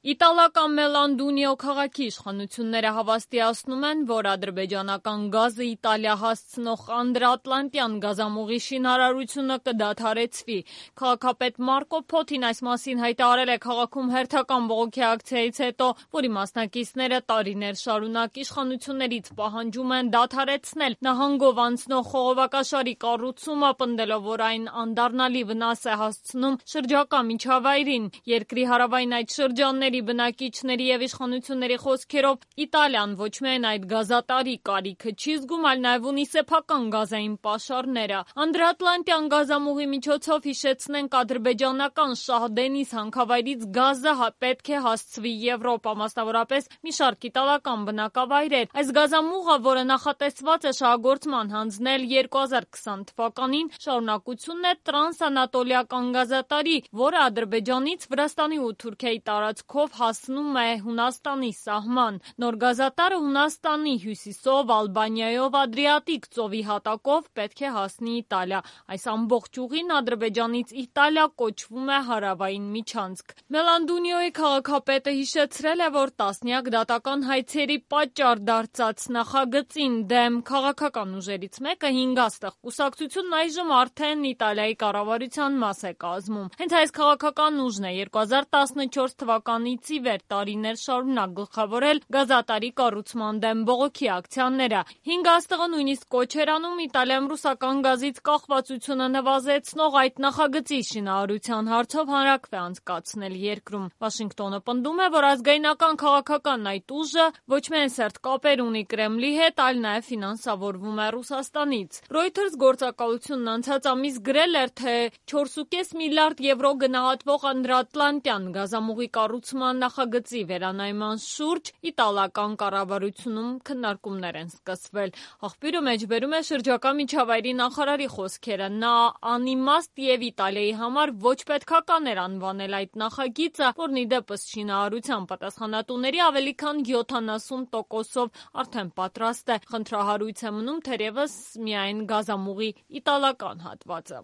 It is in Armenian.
Իտալական Մելանդունիո քաղաքի իշխանությունները հավաստիացնում են, որ ադրբեջանական գազը Իտալիա հասցնող անդրաատլանտյան գազամուղի շինարարությունը կդադարեցվի։ Քաղաքապետ Մարկո Փոթին այս մասին հայտարարել է քաղաքում հերթական բողոքի ակցիայից հետո, որի մասնակիցները տարիներ շարունակ իշխանություններից պահանջում են դադարեցնել նահանգով անցնող խողովակաշարի կառուցումը, պնդելով, որ այն անդառնալի վնաս է հասցնում շրջակա միջավայրին։ Երկրի հարավային այդ շրջանների բնակիչների և իշխանությունների խոսքերով Իտալիան ոչ միայն այդ գազատարի կարիքը չի զգում, այլ նաև ունի սեփական գազային պաշարները։ Անդրաատլանտյան գազամուղի միջոցով, հիշեցնենք, ադրբեջանական Շահ-Դենիզ հանքավայրից գազը պետք է հասցվի Եվրոպա, մասնավորապես մի շարք իտալական բնակավայրեր։ Այս գազամուղը, որը նախատեսված է շահագործման հանձնել 2020 թվականին, շարունակությունն է տրանսանատոլիական գազատարի, որը Ադրբեջանից Վրաստանի ու Թուրքիայի տարածքով հասնում է Հունաստանի սահման։ Նոր գազատարը Հունաստանի հյուսիսով, Ալբանիայով, Ադրիատիկ ծովի հատակով պետք է հասնի Իտալիա։ Այս ամբողջ ուղին Ադրբեջանից Իտալիա կոչվում է հարավային միջանցք։ Մելանդունիոյի քաղաքապետը հիշեցրել է, որ տասնյակ դատական հայցերի պատճառ դարձած նախագծին դեմ քաղաքական ուժերից մեկը 5 աստղ կուսակցությունն այժմ արդեն Իտալիայի կառավարության մաս է կազմում։ Հենց այս քաղաքական ուժն է 2014 թվականից ի վեր տարիներ շարունակ գլխավորել գազատարի կառուցման դեմ բողոքի ակցիաները։ 5 աստղը նույնիսկ կոչ էր անում Իտալիայում ռուսական գազից կախվածությունը նվազեցնող այդ նախագծի շինարարության հարցով հանրաքվե անցկացնել երկրում։ Վաշինգտոնը պնդում է, որ ազգայնական քաղաքական այդ ուժը ոչ միայն սերտ կապեր ունի Կրեմլի հետ, այլ նաև ֆինանսավորվում է Ռուսաստանից։ Reuters գործակալությունն անցած ամիս գրել էր, թե 4.5 միլիարդ եվրո գնահատվող անդրաատլանտյան գազամուղի կառուցման նախագծի վերանայման շուրջ իտալական կառավարությունում քննարկումներ են սկսվել։ Աղբյուրը մեջբերում է շրջակա միջավայրի նախարարի խոսքերը։ Նա անիմաստ եւ Իտալիայի համար ոչ պետքական էր անվանել այդ նախագիծը, որն ի դեպս շինարարության պատասխանատուների ավելի քան 70%-ով արդեն պատրաստ է։ Խնդրահարույց է մնում թերևս միայն գազամուղի իտալական հատվածը։